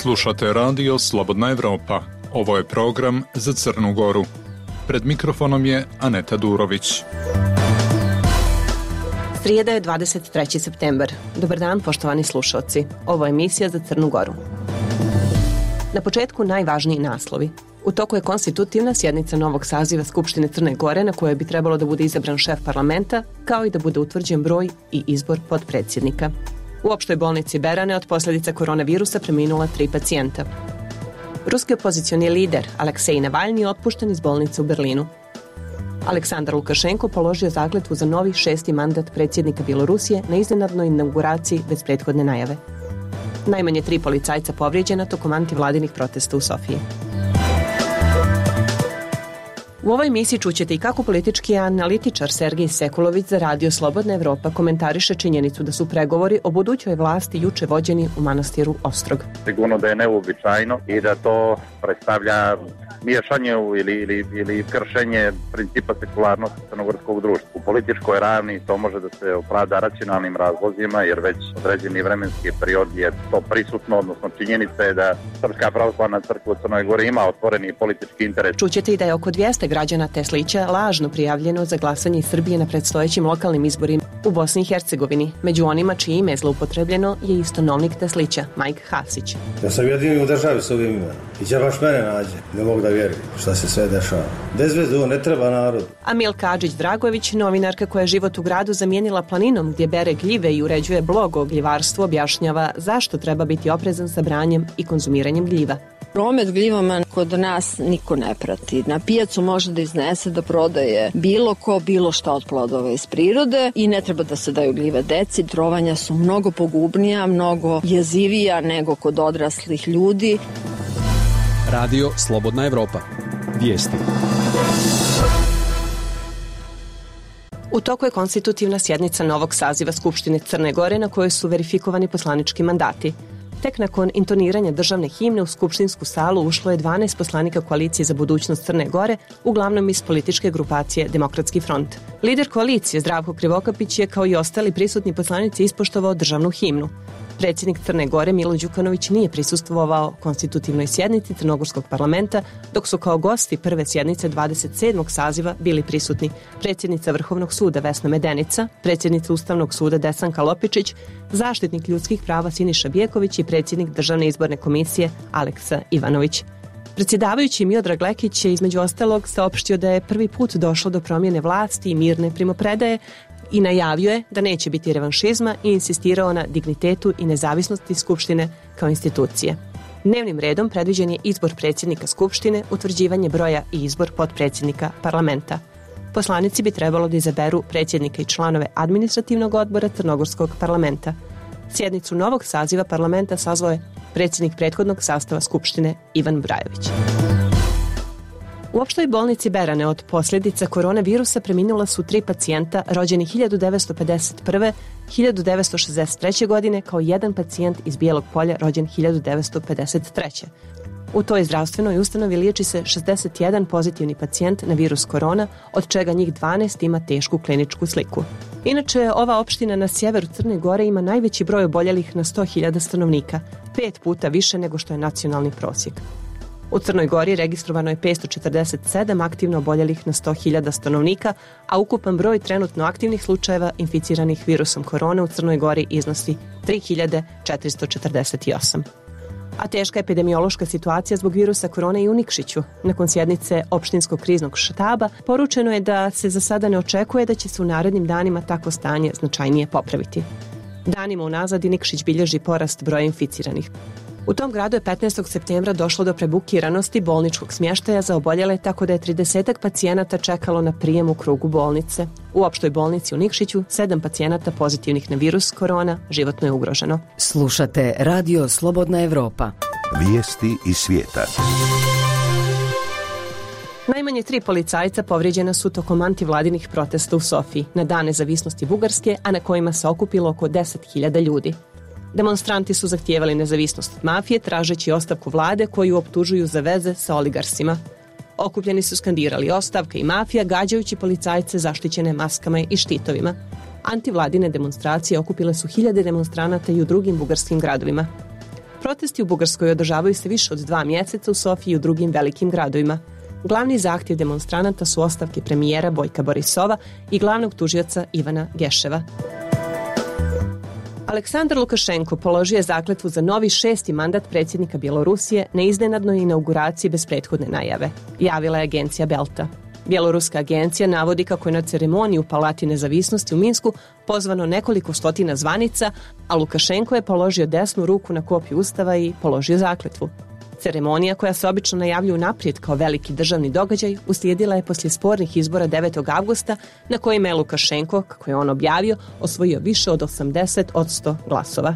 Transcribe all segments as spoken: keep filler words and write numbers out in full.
Slušate radio Slobodna Evropa. Ovo je program za Crnu Goru. Pred mikrofonom je Aneta Durović. Srijeda je dvadeset treći septembar. Dobar dan, poštovani slušalci. Ovo je emisija za Crnu Goru. Na početku najvažniji naslovi. U toku je konstitutivna sjednica novog saziva Skupštine Crne Gore na kojoj bi trebalo da bude izabran šef parlamenta, kao i da bude utvrđen broj i izbor potpredsjednika. U opštoj bolnici Berane od posljedica koronavirusa preminula tri pacijenta. Ruski opozicioni lider Aleksej Navalni je otpušten iz bolnice u Berlinu. Aleksandar Lukašenko položio zakletvu za novi šesti mandat predsjednika Bjelorusije na iznenadnoj inauguraciji bez prethodne najave. Najmanje tri policajca povrijeđena tokom antivladinih protesta u Sofiji. U ovoj emisiji čućete i kako politički analitičar Sergej Sekulović za radio Slobodna Evropa komentariše činjenicu da su pregovori o budućoj vlasti juče vođeni u manastiru Ostrog. Sigurno da je neuobičajeno i da to predstavlja miješanje ili, ili, ili kršenje principa sekularnosti crnogorskog društva. U političkoj ravni to može da se opravda racionalnim razlozima, jer već određeni vremenski period je to prisutno, odnosno činjenica je da Srpska pravoslavna crkva u Crnoj Gori ima otvoreni politički interes. Čućete i da je oko dvjesto građana Teslića lažno prijavljeno za glasanje iz Srbije na predstojećim lokalnim izborima u Bosni i Hercegovini. Među onima čije ime je zloupotrebljeno je i stanovnik Teslića, Majk Hasić. Ja sam jedini u državi s ovim imenom. I će baš mene nađe. Ne mogu da vjerujem šta se sve dešava. Bez veze, ne treba narod. A Milka Adžić-Dragović, novinarka koja je život u gradu zamijenila planinom gdje bere gljive i uređuje blog o gljivarstvu, objašnjava zašto treba biti oprezan sa branjem i konzumiranjem gljiva. Promet gljivama kod nas niko ne prati. Na pijacu može da iznese da prodaje bilo ko, bilo šta od plodova iz prirode i ne treba da se daju gljive deci. Trovanja su mnogo pogubnija, mnogo jezivija nego kod odraslih ljudi. Radio Slobodna Evropa. Vijesti. U toku je konstitutivna sjednica novog saziva Skupštine Crne Gore na kojoj su verifikovani poslanički mandati. Tek nakon intoniranja državne himne u skupštinsku salu ušlo je dvanaest poslanika koalicije za budućnost Crne Gore, uglavnom iz političke grupacije Demokratski front. Lider koalicije Zdravko Krivokapić je kao i ostali prisutni poslanici ispoštovao državnu himnu. Predsjednik Crne Gore Milo Đukanović nije prisustvovao konstitutivnoj sjednici Crnogorskog parlamenta, dok su kao gosti prve sjednice dvadeset sedmog saziva bili prisutni predsjednica Vrhovnog suda Vesna Medenica, predsjednica Ustavnog suda Desanka Lopičić, zaštitnik ljudskih prava Siniša Bijeković i predsjednik Državne izborne komisije Aleksa Ivanović. Predsjedavajući Miodrag Lekić je između ostalog saopštio da je prvi put došlo do promjene vlasti i mirne primopredaje i najavio je da neće biti revanšizma i insistirao na dignitetu i nezavisnosti Skupštine kao institucije. Dnevnim redom predviđen je izbor predsjednika Skupštine, utvrđivanje broja i izbor potpredsjednika parlamenta. Poslanici bi trebalo da izaberu predsjednika i članove administrativnog odbora Crnogorskog parlamenta. Sjednicu novog saziva parlamenta sazvao je predsjednik prethodnog sastava Skupštine Ivan Brajović. U opštoj bolnici Berane od posljedica koronavirusa preminula su tri pacijenta rođeni hiljadu devetsto pedeset prve. hiljadu devetsto šezdeset treće. godine kao jedan pacijent iz Bijelog Polja rođen hiljadu devetsto pedeset treće. U toj zdravstvenoj ustanovi liječi se šezdeset jedan pozitivni pacijent na virus korona, od čega njih dvanaest ima tešku kliničku sliku. Inače, ova opština na sjeveru Crne Gore ima najveći broj oboljelih na sto hiljada stanovnika, pet puta više nego što je nacionalni prosjek. U Crnoj Gori registrovano je petsto četrdeset sedam aktivno oboljelih na sto hiljada stanovnika, a ukupan broj trenutno aktivnih slučajeva inficiranih virusom korone u Crnoj Gori iznosi tri hiljade četiristo četrdeset osam. A teška epidemiološka situacija zbog virusa korone i u Nikšiću. Nakon sjednice opštinskog kriznog štaba poručeno je da se za sada ne očekuje da će se u narednim danima takvo stanje značajnije popraviti. Danima unazad i Nikšić bilježi porast broja inficiranih. U tom gradu je petnaestog septembra došlo do prebukiranosti bolničkog smještaja za oboljele, tako da je tridesetak pacijenata čekalo na prijem u krugu bolnice. U opštoj bolnici u Nikšiću sedam pacijenata pozitivnih na virus korona životno je ugroženo. Slušate Radio Slobodna Evropa. Vijesti iz svijeta. Najmanje tri policajca povrijeđena su tokom antivladinih protesta u Sofiji na Dan nezavisnosti Bugarske, a na kojima se okupilo oko deset hiljada ljudi. Demonstranti su zahtijevali nezavisnost od mafije, tražeći ostavku vlade koju optužuju za veze sa oligarsima. Okupljeni su skandirali ostavka i mafija, gađajući policajce zaštićene maskama i štitovima. Antivladine demonstracije okupile su hiljade demonstranata i u drugim bugarskim gradovima. Protesti u Bugarskoj održavaju se više od dva mjeseca u Sofiji i u drugim velikim gradovima. Glavni zahtjev demonstranata su ostavke premijera Bojka Borisova i glavnog tužioca Ivana Geševa. Aleksandar Lukašenko položio je zakletvu za novi šesti mandat predsjednika Bjelorusije na iznenadnoj inauguraciji bez prethodne najave, javila je agencija Belta. Bjeloruska agencija navodi kako je na ceremoniju u Palati nezavisnosti u Minsku pozvano nekoliko stotina zvanica, a Lukašenko je položio desnu ruku na kopiju ustava i položio zakletvu. Ceremonija, koja se obično najavljuje unaprijed kao veliki državni događaj, uslijedila je poslije spornih izbora devetog avgusta na kojima je Lukašenko, kako je on objavio, osvojio više od osamdeset posto glasova.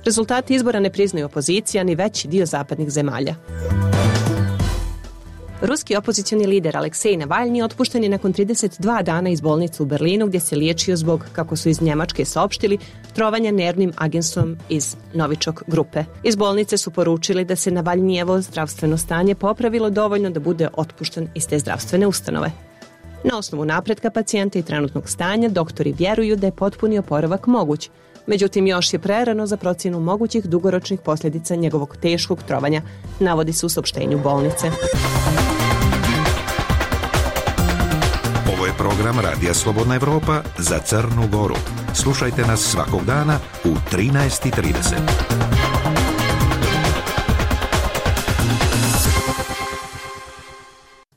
Rezultati izbora ne priznaju opozicija ni veći dio zapadnih zemalja. Ruski opozicioni lider Aleksej Navalni otpušten je nakon trideset dva dana iz bolnice u Berlinu gdje se liječio zbog, kako su iz Njemačke saopštili, trovanja nervnim agensom iz Novičok grupe. Iz bolnice su poručili da se Navalnijevo zdravstveno stanje popravilo dovoljno da bude otpušten iz te zdravstvene ustanove. Na osnovu napretka pacijenta i trenutnog stanja, doktori vjeruju da je potpuni oporavak moguć. Međutim, još je prerano za procjenu mogućih dugoročnih posljedica njegovog teškog trovanja, navodi se u saopštenju bolnice. Ovo je program Radija Slobodna Evropa za Crnu Goru. Slušajte nas svakog dana u trinaest i trideset.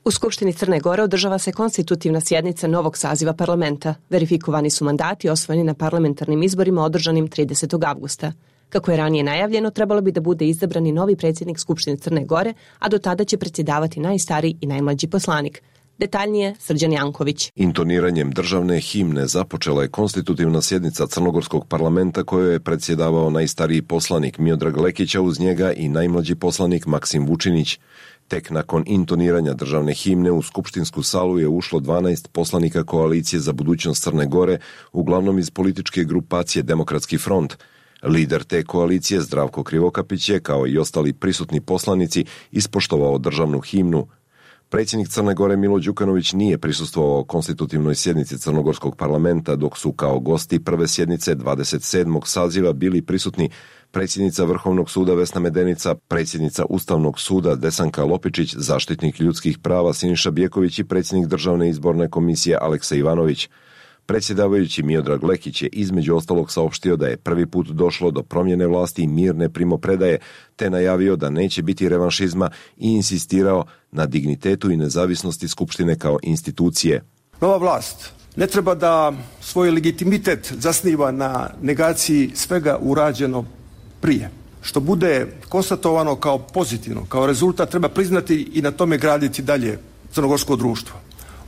U Skupštini Crne Gore održava se konstitutivna sjednica novog saziva parlamenta. Verifikovani su mandati osvojeni na parlamentarnim izborima održanim tridesetog avgusta. Kako je ranije najavljeno, trebalo bi da bude izabrani novi predsjednik Skupštine Crne Gore, a do tada će predsjedavati najstariji i najmlađi poslanik. Detaljnije Srđan Janković. Intoniranjem državne himne započela je konstitutivna sjednica Crnogorskog parlamenta kojoj je predsjedavao najstariji poslanik Miodrag Lekić, a uz njega i najmlađi poslanik Maksim Vučinić. Tek nakon intoniranja državne himne u skupštinsku salu je ušlo dvanaest poslanika koalicije za budućnost Crne Gore, uglavnom iz političke grupacije Demokratski front. Lider te koalicije Zdravko Krivokapić je, kao i ostali prisutni poslanici, ispoštovao državnu himnu. Predsjednik Crne Gore Milo Đukanović nije prisustvovao konstitutivnoj sjednici Crnogorskog parlamenta, dok su kao gosti prve sjednice dvadeset sedmog saziva bili prisutni predsjednica Vrhovnog suda Vesna Medenica, predsjednica Ustavnog suda Desanka Lopičić, zaštitnik ljudskih prava Siniša Bjeković i predsjednik Državne izborne komisije Aleksej Ivanović. Predsjedavajući Miodrag Lekić je između ostalog saopštio da je prvi put došlo do promjene vlasti i mirne primopredaje, te najavio da neće biti revanšizma i insistirao na dignitetu i nezavisnosti Skupštine kao institucije. Nova vlast ne treba da svoj legitimitet zasniva na negaciji svega urađeno prije. Što bude konstatovano kao pozitivno, kao rezultat, treba priznati i na tome graditi dalje crnogorsko društvo.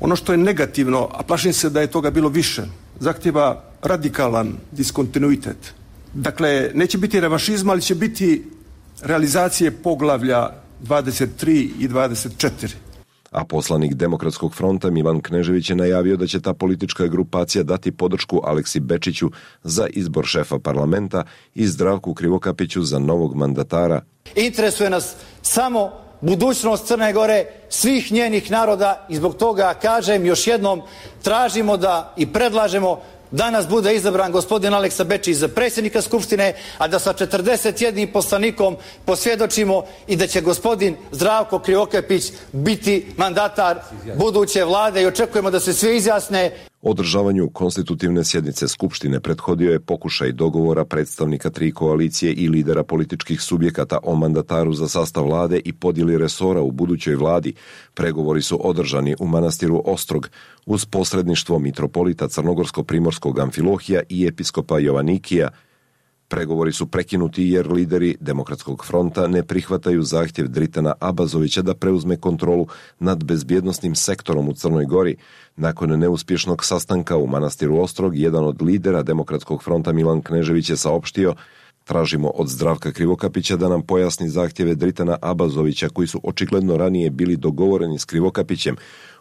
Ono što je negativno, a plašim se da je toga bilo više, zahtjeva radikalan diskontinuitet. Dakle, neće biti revanšizma, ali će biti realizacije poglavlja dvadeset tri i dvadeset četiri. A poslanik Demokratskog fronta Milan Knežević je najavio da će ta politička grupacija dati podršku Aleksi Bečiću za izbor šefa parlamenta i Zdravku Krivokapiću za novog mandatara. Interesuje nas samo budućnost Crne Gore, svih njenih naroda i zbog toga kažem još jednom, tražimo da i predlažemo danas bude izabran gospodin Aleksa Bečić za predsjednika Skupštine, a da sa četrdeset jednim poslanikom posvjedočimo i da će gospodin Zdravko Krivokapić biti mandatar buduće vlade i očekujemo da se svi izjasne. Održavanju konstitutivne sjednice Skupštine prethodio je pokušaj dogovora predstavnika tri koalicije i lidera političkih subjekata o mandataru za sastav vlade i podjeli resora u budućoj vladi. Pregovori su održani u manastiru Ostrog uz posredništvo mitropolita Crnogorsko-primorskog Amfilohija i episkopa Jovanikija. Pregovori su prekinuti jer lideri Demokratskog fronta ne prihvataju zahtjev Dritana Abazovića da preuzme kontrolu nad bezbjednosnim sektorom u Crnoj Gori. Nakon neuspješnog sastanka u manastiru Ostrog, jedan od lidera Demokratskog fronta Milan Knežević je saopštio: tražimo od Zdravka Krivokapića da nam pojasni zahtjeve Dritana Abazovića koji su očigledno ranije bili dogovoreni s Krivokapićem,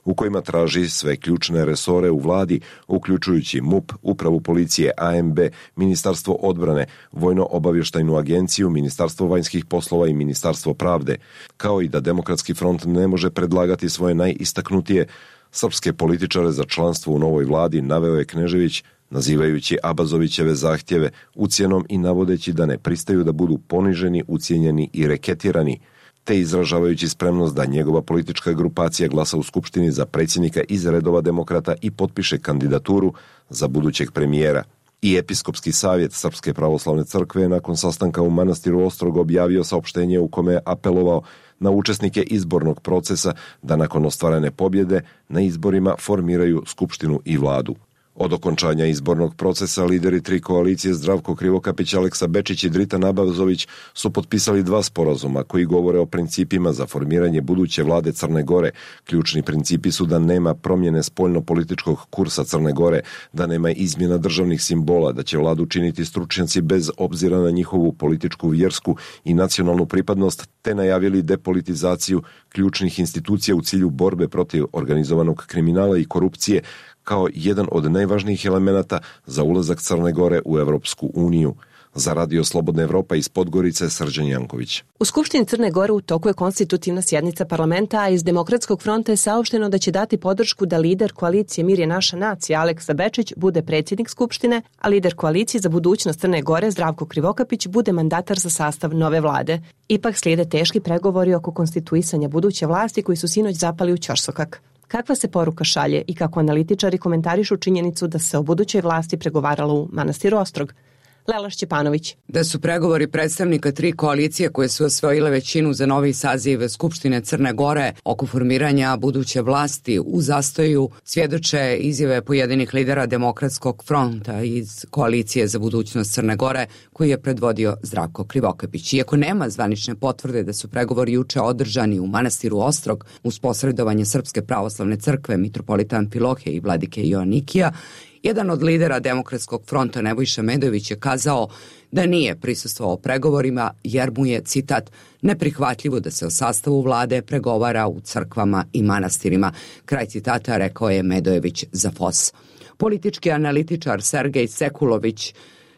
u kojima traži sve ključne resore u vladi, uključujući M U P, Upravu policije, A M B, Ministarstvo odbrane, Vojno-obavještajnu agenciju, Ministarstvo vanjskih poslova i Ministarstvo pravde, kao i da Demokratski front ne može predlagati svoje najistaknutije srpske političare za članstvo u novoj vladi, naveo je Knežević, nazivajući Abazovićeve zahtjeve ucjenom i navodeći da ne pristaju da budu poniženi, ucijenjeni i reketirani, te izražavajući spremnost da njegova politička grupacija glasa u Skupštini za predsjednika iz redova demokrata i potpiše kandidaturu za budućeg premijera. I Episkopski savjet Srpske pravoslavne crkve je nakon sastanka u manastiru Ostrog objavio saopštenje u kome je apelovao na učesnike izbornog procesa da nakon ostvarene pobjede na izborima formiraju skupštinu i vladu. Od okončanja izbornog procesa lideri tri koalicije Zdravko Krivokapić, Aleksa Bečić i Dritan Abazović su potpisali dva sporazuma koji govore o principima za formiranje buduće vlade Crne Gore. Ključni principi su da nema promjene spoljno-političkog kursa Crne Gore, da nema izmjena državnih simbola, da će vladu činiti stručnjaci bez obzira na njihovu političku, vjersku i nacionalnu pripadnost, te najavili depolitizaciju ključnih institucija u cilju borbe protiv organizovanog kriminala i korupcije, kao jedan od najvažnijih elemenata za ulazak Crne Gore u Evropsku uniju. Za Radio Slobodna Evropa iz Podgorice, Srđan Janković. U Skupštini Crne Gore u toku je konstitutivna sjednica parlamenta, a iz Demokratskog fronta je saopšteno da će dati podršku da lider koalicije Mir je naša nacija Aleksa Bečić bude predsjednik Skupštine, a lider koalicije za budućnost Crne Gore Zdravko Krivokapić bude mandatar za sastav nove vlade. Ipak slijede teški pregovori oko konstituisanja buduće vlasti koji su sinoć zapali u ćorsokak. Kakva se poruka šalje i kako analitičari komentarišu činjenicu da se o budućoj vlasti pregovaralo u manastiru Ostrog? Lela Šćepanović. Da su pregovori predstavnika tri koalicije koje su osvojile većinu za novi saziv Skupštine Crne Gore oko formiranja buduće vlasti u zastoju svjedoče izjave pojedinih lidera Demokratskog fronta iz koalicije za budućnost Crne Gore koji je predvodio Zdravko Krivokapić. Iako nema zvanične potvrde da su pregovori juče održani u manastiru Ostrog uz posredovanje Srpske pravoslavne crkve, mitropolita Amfilohije i vladike Joanikija, jedan od lidera Demokratskog fronta Nebojša Medojević je kazao da nije prisustvovao pregovorima jer mu je, citat, neprihvatljivo da se o sastavu vlade pregovara u crkvama i manastirima. Kraj citata rekao je Medojević za F O S. Politički analitičar Sergej Sekulović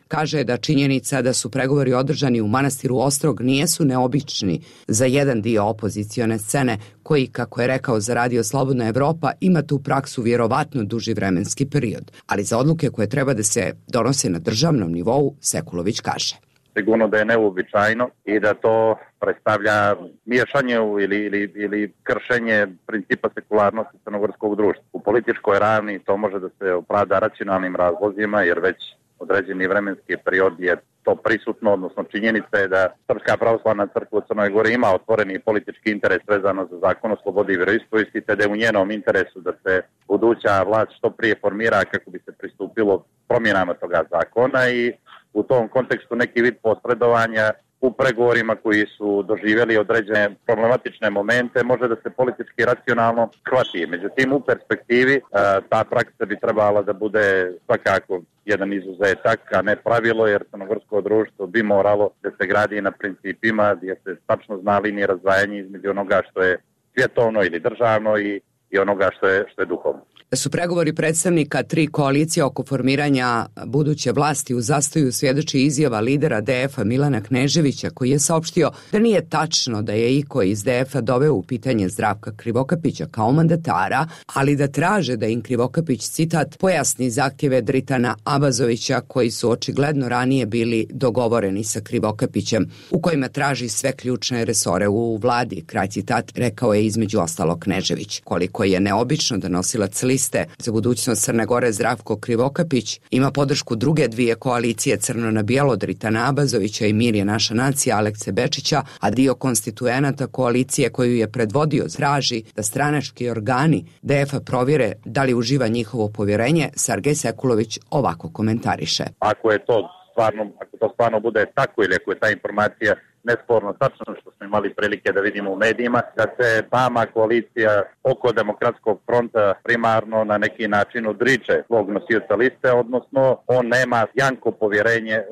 kaže da činjenica da su pregovori održani u manastiru Ostrog nijesu neobični za jedan dio opozicione scene koji, kako je rekao za Radio Slobodna Evropa, ima tu praksu vjerovatno duži vremenski period. Ali za odluke koje treba da se donose na državnom nivou, Sekulović kaže. Sigurno da je neuobičajeno i da to predstavlja miješanje ili, ili, ili kršenje principa sekularnosti crnogorskog društva. U političkoj ravni to može da se opravda racionalnim razlozima jer već određeni vremenski period je to prisutno, odnosno činjenica je da Srpska pravoslavna crkva u Crnoj Gori ima otvoreni politički interes vezano za zakon o slobodi i vjeroispovijesti, te da je u njenom interesu da se buduća vlast što prije formira kako bi se pristupilo promjenama toga zakona i u tom kontekstu neki vid posredovanja u pregovorima koji su doživjeli određene problematične momente može da se politički racionalno shvati. Međutim, u perspektivi ta praksa bi trebala da bude svakako jedan izuzetak, a ne pravilo, jer crnogorsko društvo bi moralo da se gradi na principima gdje se tačno zna linije razdvajanja između onoga što je svjetovno ili državno i, i onoga što je, što je duhovno. Da su pregovori predstavnika tri koalicije oko formiranja buduće vlasti u zastoju svjedoči izjava lidera D F-a Milana Kneževića koji je saopštio da nije tačno da je iko iz D F-a doveo u pitanje Zdravka Krivokapića kao mandatara, ali da traže da im Krivokapić, citat, pojasni zahtjeve Dritana Abazovića koji su očigledno ranije bili dogovoreni sa Krivokapićem, u kojima traži sve ključne resore u vladi, kraj citat, rekao je između ostalog Knežević. Koliko je neobično da nosilac liste za budućnost Crne Gore Zdravko Krivokapić ima podršku druge dvije koalicije Crno na bijelo Dritana Abazovića i Mir je naša nacija Alekse Bečića, a dio konstituenata koalicije koju je predvodio traži da stranački organi D F-a provjere da li uživa njihovo povjerenje, Sergej Sekulović ovako komentariše. Ako je to stvarno, ako to stvarno bude tako ili ako je ta informacija nesporno tačno što smo imali prilike da vidimo u medijima, da se sama koalicija oko Demokratskog fronta primarno na neki način odriče svog nosioca liste, odnosno on nema janko povjerenje e,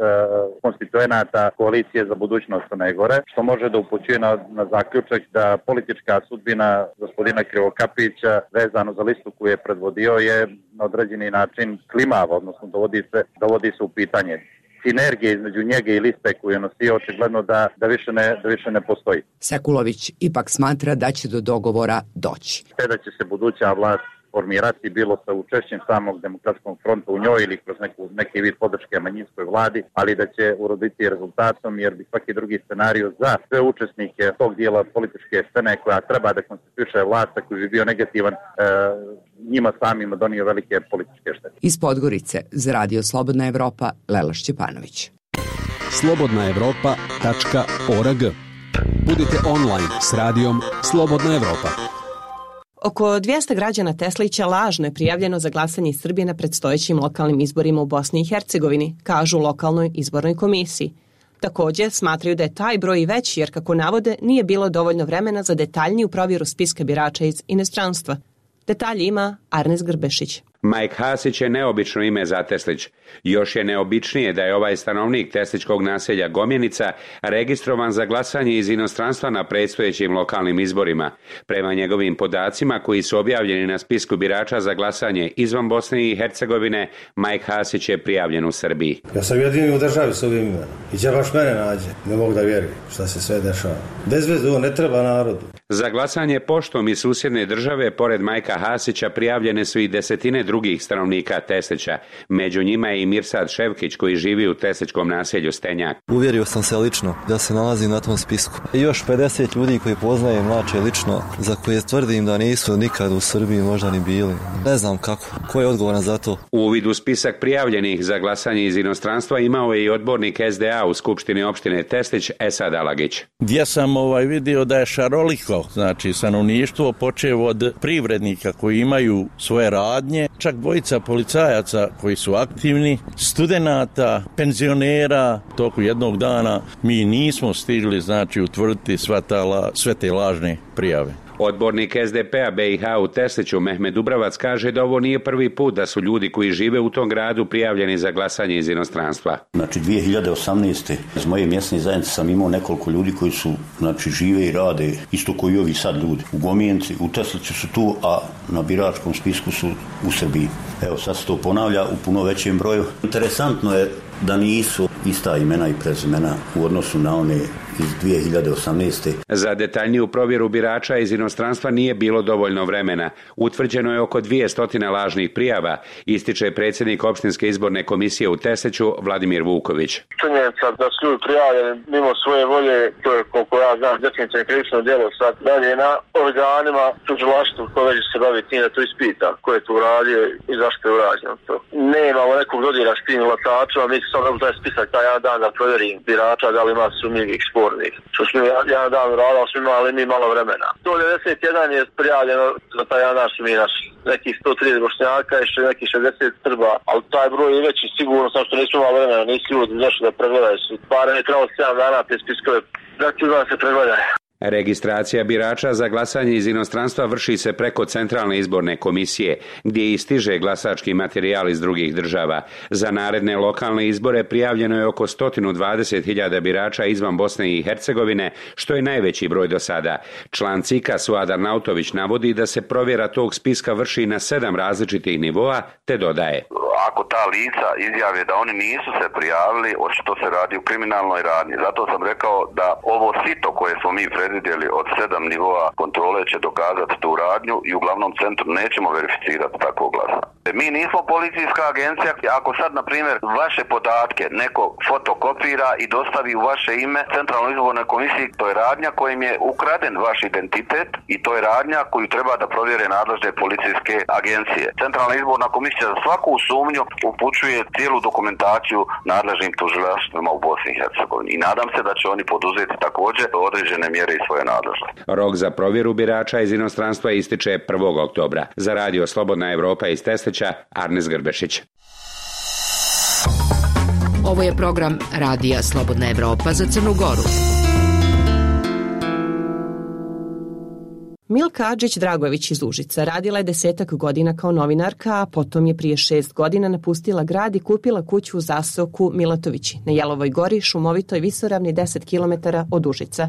konstituenata koalicije za budućnost Crne Gore, što može da upućuje na, na zaključak da politička sudbina gospodina Krivokapića vezano za listu koju je predvodio je na određeni način klimava, odnosno dovodi se, dovodi se u pitanje. Sinergije između njega i liste koju je nosio očigledno da, da, više ne, da više ne postoji. Sekulović ipak smatra da će do dogovora doći. Te da će se buduća vlast formirati, bilo sa učešćem samog Demokratskog fronta u njoj ili kroz neku, neki vid podrške manjinskoj vladi, ali da će uroditi rezultatom, jer bi svaki drugi scenarij za sve učesnike tog dijela političke scene koja treba da konstituiše vlast, koji bi bio negativan, e, njima samima donio velike političke štete. Iz Podgorice za Radio Slobodna Evropa, Lela Šćepanović. slobodna evropa tačka org. Budite online s radijom Slobodna Evropa. Oko dvjesto građana Teslića lažno je prijavljeno za glasanje iz Srbije na predstojećim lokalnim izborima u Bosni i Hercegovini, kažu u lokalnoj izbornoj komisiji. Također smatraju da je taj broj veći jer, kako navode, nije bilo dovoljno vremena za detaljniju provjeru spiska birača iz inostranstva. Detalji ima Arnes Grbešić. Mike Hasić je neobično ime za Teslić. Još je neobičnije da je ovaj stanovnik tesličkog naselja Gomjenica registrovan za glasanje iz inostranstva na predstojećim lokalnim izborima. Prema njegovim podacima koji su objavljeni na spisku birača za glasanje izvan Bosne i Hercegovine, Mike Hasić je prijavljen u Srbiji. Ja sam jedini u državi s ovim imenom. I će baš mene nađe. Ne mogu da vjerujem šta se sve dešava. Bez veze, ovo ne treba narodu. Za glasanje poštom iz susjedne države, pored Majka Hasića, prijavljene su i desetine drugih stanovnika Teslića. Među njima je i Mirsad Ševkić koji živi u tesličkom naselju Stenjak. Uvjerio sam se lično da se nalazi na tom spisku. I još pedeset ljudi koji poznajem mlače lično, za koje tvrdim da nisu nikad u Srbiji možda ni bili. Ne znam kako. Ko je odgovoran za to? Uvid u spisak prijavljenih za glasanje iz inostranstva imao je i odbornik S D A u Skupštini opštine Teslić Esad Alagić. Gdje sam ovaj vidio da je šaroliko, znači stanovništvo, počev od privrednika koji imaju svoje radnje, čak dvojica policajaca koji su aktivni, studenata, penzionera. Toku jednog dana mi nismo stigli, znači, utvrditi sva ta, sve te lažne prijave. Odbornik S D P-a B i H u Tesliću Mehmed Dubravac kaže da ovo nije prvi put da su ljudi koji žive u tom gradu prijavljeni za glasanje iz inostranstva. Znači dvije hiljade osamnaeste. iz moje mjesne zajednice sam imao nekoliko ljudi koji su, znači, žive i rade isto koji i ovi sad ljudi. U Gomjenci, u Tesliću su tu, a na biračkom spisku su u Srbiji. Evo sad se to ponavlja u puno većem broju. Interesantno je da nisu ista imena i prezimena u odnosu na one iz dvije hiljade osamnaeste. Za detaljniju provjeru birača iz inostranstva nije bilo dovoljno vremena. Utvrđeno je oko dvjesto lažnih prijava, ističe predsjednik opštinske izborne komisije u Tesliću Vladimir Vuković. Činjenica da su ljudi prijavljeni mimo svoje volje, to je, koliko ja znam, definitivno krivično djelo. Sad dalje na organima tužilaštva koje se bavi tim da to ispita ko je tu uradio i zašto je urađeno to. Nemamo nekog dodira s tim glasačima, mi sam da taj spisak taj jedan dan da provjerim birača da li ima sumnjivih spornih. Što smo jedan dan uradili, smo imali mi malo vremena. sto devedeset jedan je prijavljeno za taj jedan dan su mi naši. Nekih sto trideset bošnjaka i še nekih šezdeset Srba, ali taj broj je veći sigurno, samo što nismo imali vremena, nisu ljudi nešto da pregledaju. Barem je trebalo sedam dana te spiskove da ću da se pregledaju. Registracija birača za glasanje iz inostranstva vrši se preko Centralne izborne komisije, gdje i stiže glasački materijal iz drugih država. Za naredne lokalne izbore prijavljeno je oko sto dvadeset hiljada birača izvan Bosne i Hercegovine, što je najveći broj do sada. Član C I K-a Suadar Nautović navodi da se provjera tog spiska vrši na sedam različitih nivoa, te dodaje. Ako ta lica izjave da oni nisu se prijavili, očito se radi u kriminalnoj radnji. Zato sam rekao da ovo sito koje smo mi predvidjeli od sedam nivoa kontrole će dokazati tu radnju i u glavnom centru nećemo verificirati takvo glasanje. Mi nismo policijska agencija. Ako sad, na primjer, vaše podatke neko fotokopira i dostavi u vaše ime Centralnoj izbornoj komisiji, to je radnja kojim je ukraden vaš identitet i to je radnja koju treba da provjere nadležne policijske agencije. Centralna izborna komisija za svaku sumnju upućuje cijelu dokumentaciju nadležnim tužilaštvima u Bosni i Hercegovini i nadam se da će oni poduzeti također određene mjere i svoje nadležnosti. Rok za provjeru birača iz inostranstva ističe prvog oktobra. Za Radio Slobodna Evropa iz Teslića, Arnes Grbešić. Ovo je program Radija Slobodna Evropa za Crnu Goru. Milka Adžić-Dragojević iz Užica radila je desetak godina kao novinarka, a potom je prije šest godina napustila grad i kupila kuću u zaseoku Milatovići na Jelovoj gori, šumovitoj visoravni deset kilometara od Užica.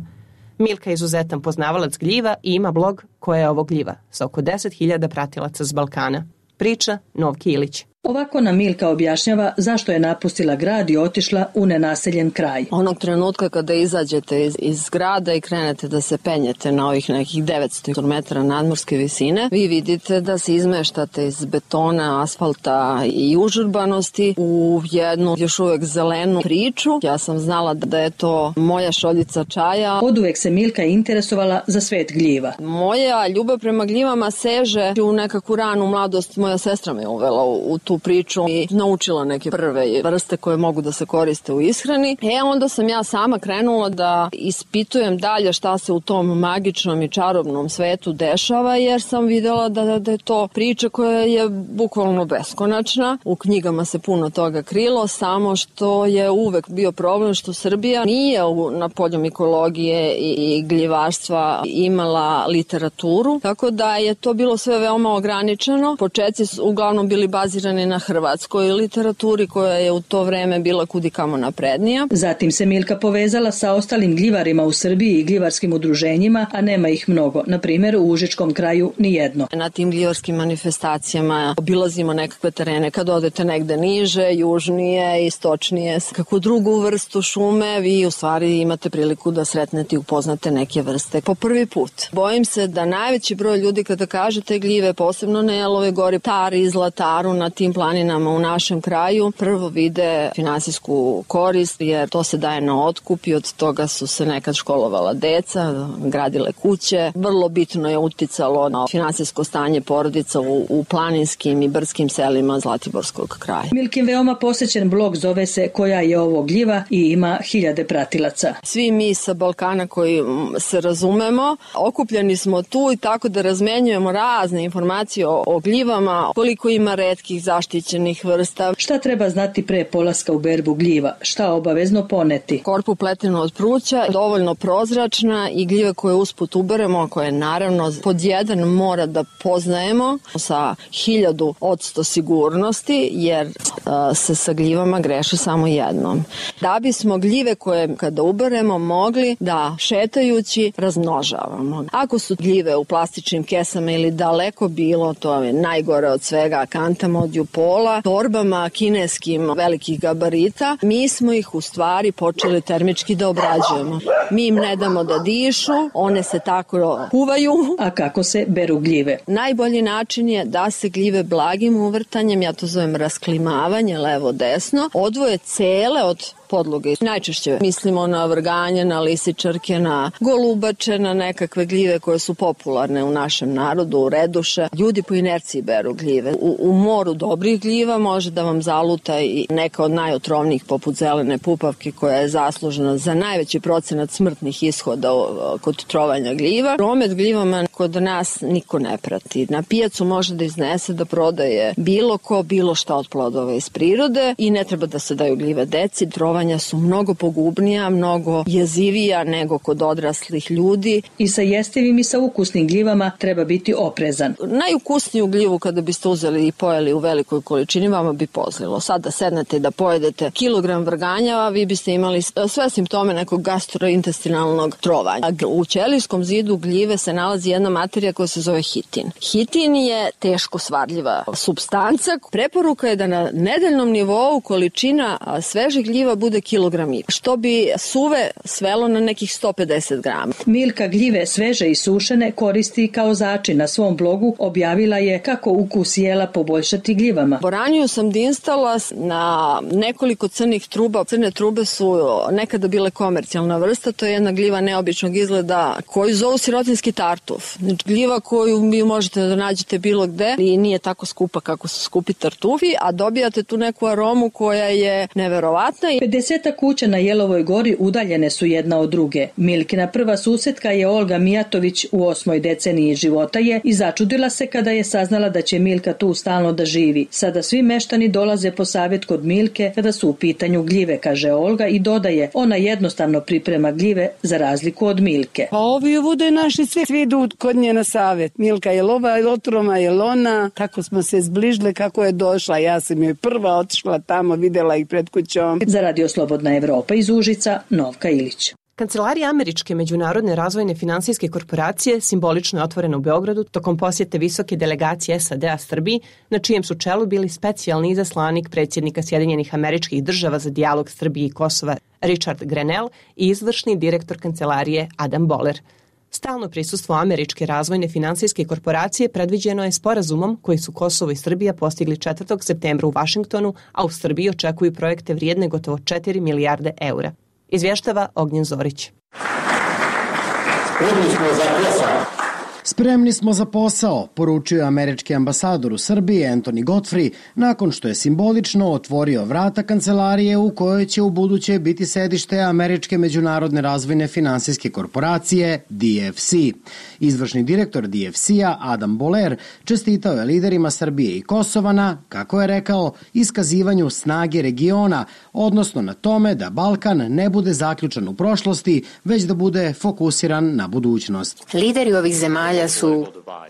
Milka je izuzetan poznavalac gljiva i ima blog Koja je ovo gljiva sa oko deset hiljada pratilaca s Balkana. Priča Novki Ilić. Ovako nam Milka objašnjava zašto je napustila grad i otišla u nenaseljen kraj. Onog trenutka kada izađete iz, iz grada i krenete da se penjete na ovih nekih devetsto metara nadmorske visine, vi vidite da se izmeštate iz betona, asfalta i užurbanosti u jednu još uvek zelenu priču. Ja sam znala da je to moja šoljica čaja. Oduvek se Milka interesovala za svet gljiva. Moja ljubav prema gljivama seže u nekakvu ranu mladost. Moja sestra me uvela u, u tu priču i naučila neke prve vrste koje mogu da se koriste u ishrani. E onda sam ja sama krenula da ispitujem dalje šta se u tom magičnom i čarobnom svetu dešava, jer sam videla da, da je to priča koja je bukvalno beskonačna. U knjigama se puno toga krilo, samo što je uvek bio problem što Srbija nije u, na polju mikologije i, i gljivarstva imala literaturu, tako da je to bilo sve veoma ograničeno. Početci su uglavnom bili bazirani na hrvatskoj literaturi koja je u to vreme bila kudikamo naprednija. Zatim se Milka povezala sa ostalim gljivarima u Srbiji i gljivarskim udruženjima, a nema ih mnogo. Na primjer, u Užičkom kraju nijedno. Na tim gljivarskim manifestacijama obilazimo nekakve terene. Kad odete negde niže, južnije, istočnije, kakvu drugu vrstu šume, vi u stvari imate priliku da sretnete i upoznate neke vrste po prvi put. Bojim se da najveći broj ljudi kada kažete gljive, posebno na Jelove gori, Tari, Zlataru, na tim planinama u našem kraju, prvo vide finansijsku korist, jer to se daje na otkup i od toga su se nekad školovala deca, gradile kuće. Vrlo bitno je uticalo na finansijsko stanje porodica u, u planinskim i brdskim selima Zlatiborskog kraja. Milkin veoma posećen blog zove se Koja je ovo gljiva i ima hiljade pratilaca. Svi mi sa Balkana koji se razumemo, okupljeni smo tu i tako da razmenjujemo razne informacije o, o gljivama, koliko ima retkih zaštićenih vrsta. Šta treba znati pre polaska u berbu gljiva? Šta obavezno poneti? Korpu pletenu od pruća, dovoljno prozračna i gljive koje usput uberemo, koje naravno pod jedan mora da poznajemo sa hiljadu odsto sigurnosti, jer uh, se sa gljivama greši samo jednom. Da bismo gljive koje kada uberemo mogli da šetajući razmnožavamo. Ako su gljive u plastičnim kesama ili daleko bilo, to je najgore od svega, kantama od jupola, torbama kineskim velikih gabarita, mi smo ih u stvari počeli termički da obrađujemo. Mi im ne damo da dišu, one se tako kuvaju. A kako se beru gljive? Najbolji način je da se gljive blagim uvrtanjem, ja to zovem rasklimavanje levo-desno, odvoje cele od podloge. Najčešće mislimo na vrganje, na lisičarke, na golubače, na nekakve gljive koje su popularne u našem narodu, reduše. Ljudi po inerciji beru gljive. U, u moru dobrih gljiva može da vam zaluta i neka od najotrovnijih poput zelene pupavke koja je zaslužena za najveći procenat smrtnih ishoda kod trovanja gljiva. Promet gljivama kod nas niko ne prati. Na pijacu može da iznese da prodaje bilo ko, bilo šta od plodova iz prirode i ne treba da se daju gljive deci. Trovanja su mnogo pogubnija, mnogo jezivija nego kod odraslih ljudi. I sa jestivim i sa ukusnim gljivama treba biti oprezan. Najukusniju gljivu kada biste uzeli i pojeli u velikoj količini vama bi pozlilo. Sad da sednete i da pojedete kilogram vrganja, vi biste imali sve simptome nekog gastrointestinalnog trovanja. U ćelijskom zidu gljive se nalazi jedna materija koja se zove hitin. Hitin je teško svadljiva supstanca. Preporuka je da na nedeljnom nivou količina svežih gljiva bude kilogram i što bi suve svelo na nekih sto pedeset grama. Milka gljive sveže i sušene koristi kao začin. Na svom blogu objavila je kako ukus jela poboljšati gljivama. Boraniju sam dinstala na nekoliko crnih truba. Crne trube su nekada bile komercijalna vrsta, to je jedna gljiva neobičnog izgleda koju zovu sirotinski tartuf. Znači, gljiva koju vi možete da nađete bilo gde i nije tako skupa kako su skupi tartufi, a dobijate tu neku aromu koja je neverovatna. pedeseta kuća na Jelovoj gori udaljene su jedna od druge. Milkina prva susetka je Olga Mijatović, u osmoj deceniji života je i začudila se kada je saznala da će Milka tu stalno da živi. Sada svi meštani dolaze po savjet kod Milke kada su u pitanju gljive, kaže Olga i dodaje, ona jednostavno priprema gljive za razliku od Milke. Pa ovi bude naši svi, svi idu kod nje na savjet. Milka je lova, je otroma, je lona, tako smo se zbližile kako je došla. Ja sam joj prva otišla tamo, videla ih pred kućom. Za Radio Slobodna Evropa iz Užica, Novka Ilić. Kancelarija Američke međunarodne razvojne finansijske korporacije simbolično je otvorena u Beogradu tokom posjete visoke delegacije S A D-a Srbiji, na čijem su čelu bili specijalni izaslanik predsjednika Sjedinjenih Američkih Država za dijalog Srbije i Kosova Richard Grenell i izvršni direktor kancelarije Adam Boehler. Stalno prisustvo Američke razvojne finansijske korporacije predviđeno je sporazumom koji su Kosovo i Srbija postigli četvrtog septembra u Vašingtonu, a u Srbiji očekuju projekte vrijedne gotovo četiri milijarde eura. Izvještava Ognjen Zorić. Spremni smo za posao. Spremni smo za posao, poručio američki ambasador u Srbiji Anthony Godfrey nakon što je simbolično otvorio vrata kancelarije u kojoj će u buduće biti sedište Američke međunarodne razvojne finansijske korporacije D F C. Izvršni direktor D F C-a Adam Boehler čestitao je liderima Srbije i Kosova na, kako je rekao, iskazivanju snage regiona, odnosno na tome da Balkan ne bude zaključan u prošlosti, već da bude fokusiran na budućnost. Lideri ovih zemalja su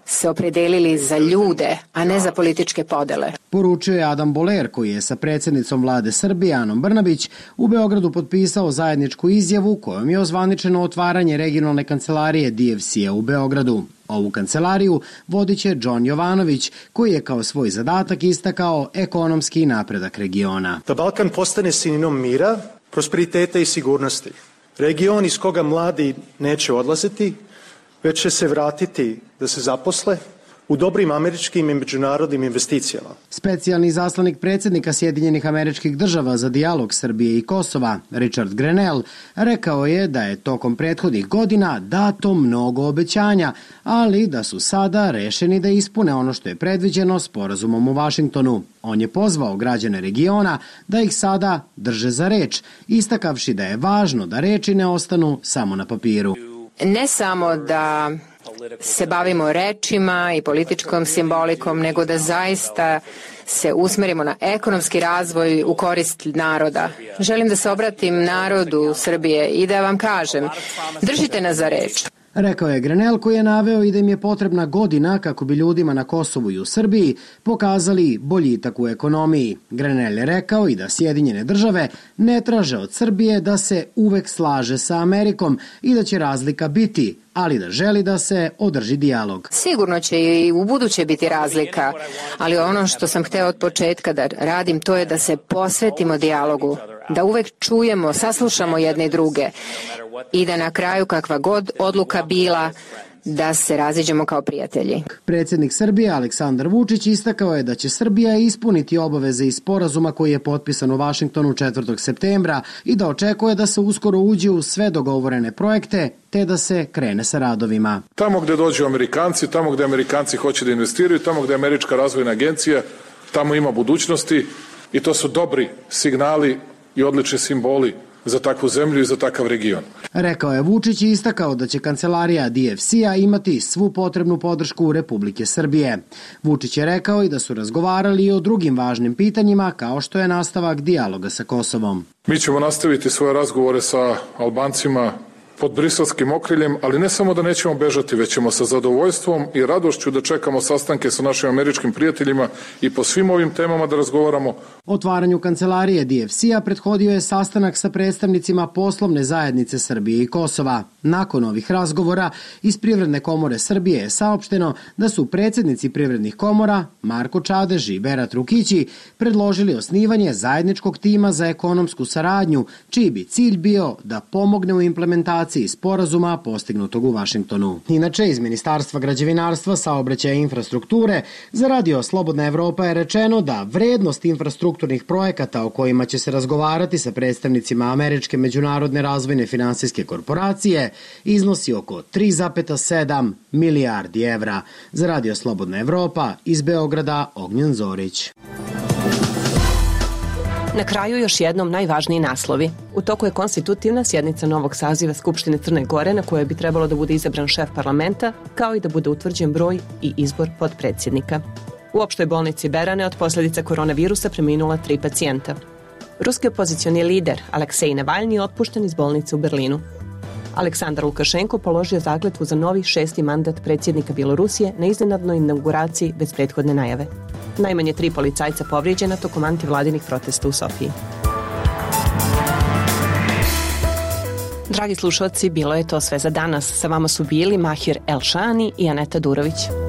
se opredelili za ljude, a ne za političke podele. Poručio je Adam Boehler, koji je sa predsjednicom vlade Srbije Anom Brnabić u Beogradu potpisao zajedničku izjavu kojom je ozvaničeno otvaranje regionalne kancelarije D F C-a u Beogradu. Ovu kancelariju vodit će John Jovanović, koji je kao svoj zadatak istakao ekonomski napredak regiona. Da Balkan postane sinonim mira, prosperiteta i sigurnosti. Region iz koga mladi neće odlaziti, već će se vratiti da se zaposle u dobrim američkim i međunarodnim investicijama. Specijalni izaslanik predsjednika Sjedinjenih Američkih Država za dijalog Srbije i Kosova, Richard Grenell, rekao je da je tokom prethodnih godina dato mnogo obećanja, ali da su sada rešeni da ispune ono što je predviđeno sporazumom u Vašingtonu. On je pozvao građane regiona da ih sada drže za reč, istakavši da je važno da reči ne ostanu samo na papiru. Ne samo da se bavimo rečima i političkom simbolikom, nego da zaista se usmerimo na ekonomski razvoj u korist naroda. Želim da se obratim narodu Srbije i da vam kažem, držite nas za reč. Rekao je Grenell, koji je naveo i da im je potrebna godina kako bi ljudima na Kosovu i u Srbiji pokazali boljitak u ekonomiji. Grenell je rekao i da Sjedinjene Države ne traže od Srbije da se uvek slaže sa Amerikom i da će razlika biti, ali da želi da se održi dijalog. Sigurno će i u buduće biti razlika, ali ono što sam hteo od početka da radim, to je da se posvetimo dijalogu, da uvek čujemo, saslušamo jedne i druge i da na kraju, kakva god odluka bila, da se raziđemo kao prijatelji. Predsjednik Srbije Aleksandar Vučić istakao je da će Srbija ispuniti obaveze iz sporazuma koji je potpisan u Vašingtonu četvrtog septembra i da očekuje da se uskoro uđe u sve dogovorene projekte te da se krene sa radovima. Tamo gde dođu Amerikanci, tamo gde Amerikanci hoće da investiraju, tamo gde je Američka razvojna agencija, tamo ima budućnosti i to su dobri signali i odlični simboli za takvu zemlju i za takav region. Rekao je Vučić i istakao da će kancelarija D F C-a imati svu potrebnu podršku Republike Srbije. Vučić je rekao i da su razgovarali i o drugim važnim pitanjima kao što je nastavak dijaloga sa Kosovom. Mi ćemo nastaviti svoje razgovore sa Albancima pod briselskim okriljem, ali ne samo da nećemo bežati, već ćemo sa zadovoljstvom i radošću da čekamo sastanke sa našim američkim prijateljima i po svim ovim temama da razgovaramo. Otvaranju kancelarije D F C-a prethodio je sastanak sa predstavnicima poslovne zajednice Srbije i Kosova. Nakon ovih razgovora iz Privredne komore Srbije je saopšteno da su predsjednici privrednih komora Marko Čadež i Berat Rukići predložili osnivanje zajedničkog tima za ekonomsku saradnju, čiji bi cilj bio da pomogne u implementaciji sporazuma postignutog u Vašingtonu. Inače, iz Ministarstva građevinarstva, saobraćaja i infrastrukture za Radio Slobodna Evropa je rečeno da vrednost infrastrukturnih projekata o kojima će se razgovarati sa predstavnicima Američke međunarodne razvojne finansijske korporacije iznosi oko tri zarez sedam milijardi evra. Za Radio Slobodna Evropa iz Beograda Ognjen Zorić. Na kraju još jednom najvažniji naslovi. U toku je konstitutivna sjednica novog saziva Skupštine Crne Gore na kojoj bi trebalo da bude izabran šef parlamenta, kao i da bude utvrđen broj i izbor podpredsjednika. U opštoj bolnici Berane od posljedica koronavirusa preminula tri pacijenta. Ruski opozicioni lider Aleksej Navalni je otpušten iz bolnice u Berlinu. Aleksandar Lukašenko položio zakletvu za novi šesti mandat predsjednika Bjelorusije na iznenadnoj inauguraciji bez prethodne najave. Najmanje tri policajca povrijeđena tokom antivladinih protesta u Sofiji. Dragi slušalci, bilo je to sve za danas. Sa vama su bili Mahir Elšani i Aneta Durović.